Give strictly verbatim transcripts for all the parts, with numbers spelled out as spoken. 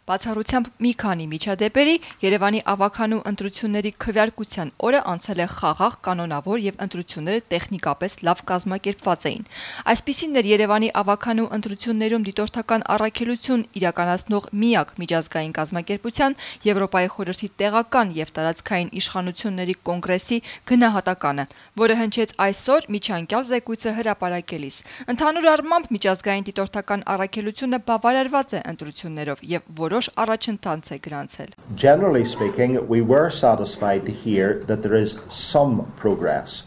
Բացառությամբ մի քանի միջադեպերի Երևանի ավագանու ընտրությունների քվեարկության օրը անցել է խաղաղ, կանոնավոր եւ ընտրությունները տեխնիկապես լավ կազմակերպված էին։ Այսպիսին էր Երևանի ավագանու ընտրություններում դիտորդական առաքելություն իրականացնող միակ միջազգային կազմակերպության Եվրոպայի խորհրդի տեղական եւ տարածքային իշխանությունների կոնգրեսի գնահատականը, որը հնչեց այսօր միջանկյալ զեկույցը հրապարակելիս։ Ընդհանուր առմամբ միջազգային դիտորդական առաքելությունը բավարարված է ընտրություններով եւ որոշ առաջընթաց է գրանցել։ Generally speaking, we were satisfied to hear that there is some progress.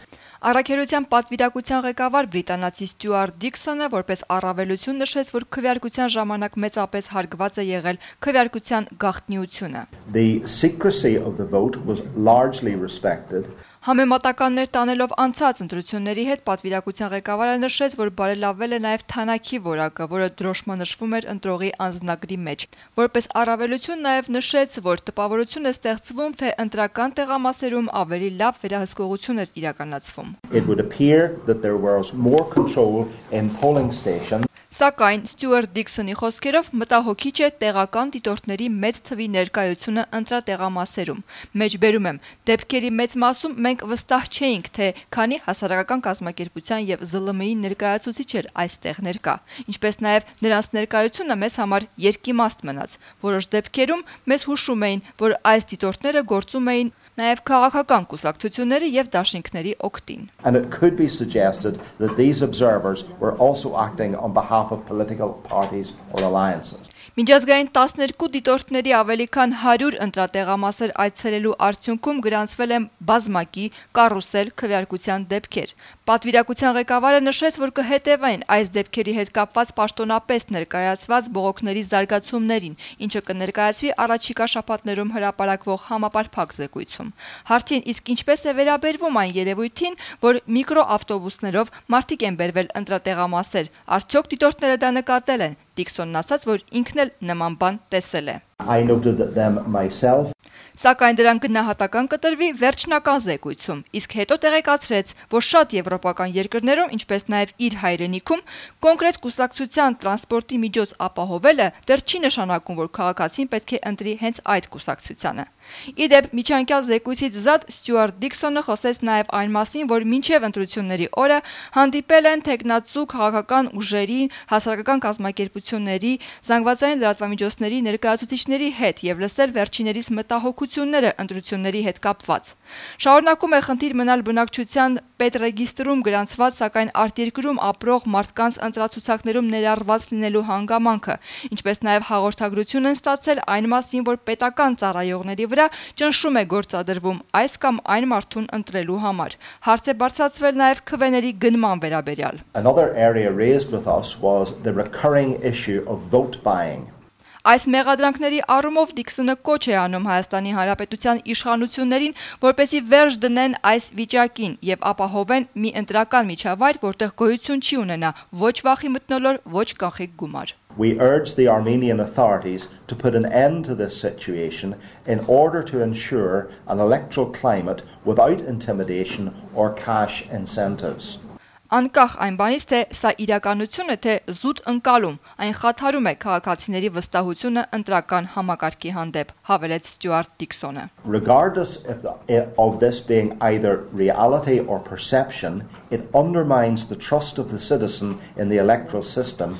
Առաքելության պատվիրակության ղեկավար բրիտանացի Ստյուարտ Դիքսոնը որպես առավելություն նշեց, որ քվեարկության ժամանակ մեծապես հարգված է եղել քվեարկության գաղտնիությունը։ The secrecy of the vote was largely respected. Համեմատականներ տանելով անցած ընտրությունների հետ պատվիրակության ղեկավարը նշեց, որ բարելավվել է նաև թանակի որակը, որը դրոշմանշվում էր ընտրողի անձնագրի մեջ։ Որպես առավելություն նաև նշեց, որ տպավորություն է ստեղծվում, թե ընտրական տեղամասերում ավելի լավ վերահսկողություն էր իրականացվում։ It would appear that there was more control in polling stations. Սակայն Ստյուարտ Դիքսոնի խոսքերով մտահոգիչ է տեղական դիտորդների մեծ թվի ներկայությունը ընտրատեղամասերում։ Մեջբերում եմ, դեպքերի մեծ մասում մենք վստահ չէինք, թե քանի հասարակական կազմակերպության եւ զլ էմ ի ներկայացուցիչ էր այստեղ ներկա, ինչպես նաեւ նրանց ներկայությունը մեզ համար երկիմաստ մնաց։ Որոշ դեպքերում մեզ հուշում էին, որ այս դիտորդները գործում էին նաև քաղաքական կուսակցությունների եւ դաշինքների օգտին։ And it could be suggested that these observers were also acting on behalf of political parties or alliances. Միջազգային տասներկու դիտորդների ավելի քան հարյուր ընտրատեղամասեր այցելելու արդյունքում գրանցվել են բազմակի, կարուսել քվեարկության դեպքեր։ Պատվիրակության ղեկավարը նշեց, որ կհետևեն այս դեպքերի հետ կապված պաշտոնապես ներկայացված բողոքների զարգացումներին, ինչը կներկայացվի առաջիկա շաբաթներում հրապարակվող համապարփակ զեկույցում։ Հարցին իսկ ինչպես է վերաբերվում այն երևույթին, որ միկրոավտոբուսներով մարդիկ են բերվել ընտրատեղամասեր, արդյոք դիտորդները դա նկատել են։ Դիքսոնն ասաց, որ ինքն էլ նման բան տեսել է։ I noted them myself. Սակայն դրան գնահատական կտրվի վերջնական զեկույցում, իսկ հետո տեղեկացրեց, որ շատ եվրոպական երկրներում, ինչպես նաև իր հայրենիքում, կոնկրետ կուսակցության տրանսպորտի միջոց ապահովելը դեռ չի նշանակում, որ քաղաքացին պետք է ընտրի հենց այդ կուսակցությանը։ Իդեպ միջանկյալ զեկույցից զատ Ստյուարտ Դիքսոնը խոսեց նաև այն մասին, որ մինչև ընտրությունների օրը հանդիպել են թեկնածու քաղաքական ուժերի, հասարակական կազմակերպությունների, զանգվածային լրատվամիջոցների ներկայացուցիչների հետ եւ լսել վերջիներիս մտահոգությունները ընտրությունների հետ կապված։ Շարունակում է խնդիր մնալ բնակչության պետռեգիստրում գրանցված, սակայն արտերկրում ապրող մարդկանց ընտրացուցակներում ներառված լինելու հանգամանքը, ինչպես նաև հաղորդագրություն են ստացել այն մասին, որ պետական ծառայողների վրա ճնշում է գործադրվում այս կամ այն մարդուն ընտրելու համար։ Հարց է բարձրացվել նաև քվեների գնման վերաբերյալ։ Another area raised with us was the recurring issue of vote buying. Այս մեղադրանքների առումով Դիքսոնը կոչ է անում Հայաստանի Հանրապետության իշխանություններին, որպեսզի վերջ դնեն այս վիճակին եւ ապահովեն մի ընտրական միջավայր, որտեղ գոյություն չի ունենա ոչ վախի մթնոլորտ, ոչ կանխիկ գումար։ We urge the Armenian authorities to put an end to this situation in order to ensure an electoral climate without intimidation or cash incentives. Անկախ այն բանից, թե սա իրականություն է, թե զուտ ընկալում, այն խաթարում է քաղաքացիների վստահությունը ընտրական համակարգի հանդեպ, հավելեց Ստյուարտ Դիքսոնը։ Regardless of, the, of this being either reality or perception, it undermines the trust of the citizen in the electoral system.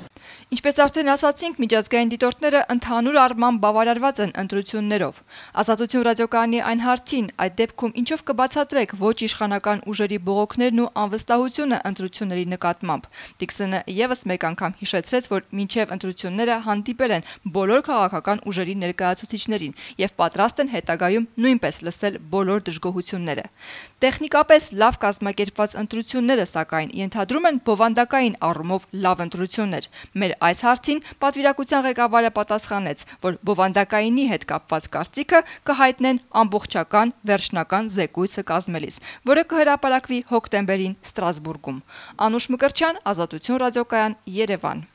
Ինչպես արդեն ասացինք, միջազգային դիտորդները ընդհանուր առմամբ բավարարված են ընտրություններով։ Ազատություն ռադիոկայանի այն հարցին, այդ դեպքում ինչով կբացատրեք ոչ իշխանական ուժերի բողոքներն ու անվստահությունը ընտրությունների նկատմամբ։ Դիքսոնը եւս մեկ անգամ հիշեցրեց, որ մինչև ընտրությունները հանդիպել են բոլոր քաղաքական ուժերի ներկայացուցիչներին եւ պատրաստ են հետագայում նույնպես լսել բոլոր դժգոհությունները։ Տեխնիկապես լավ կազմակերպված ընտրությունները, սակայն, ենթադրում են բովանդակային առումով լավ ընտրություններ։ Մեր այս հարցին պատվիրակության ղեկավարը պատասխանեց, որ բովանդակայինի հետ կապված կարծիքը կհայտնեն ամբողջական վերջնական զեկույցը կազմելիս, որը կհրապարակվի հոկտեմբերին Ստրասբուրգում։ Անուշ Մկրտչյան, Ազատություն ռադիոկայան, Երևան։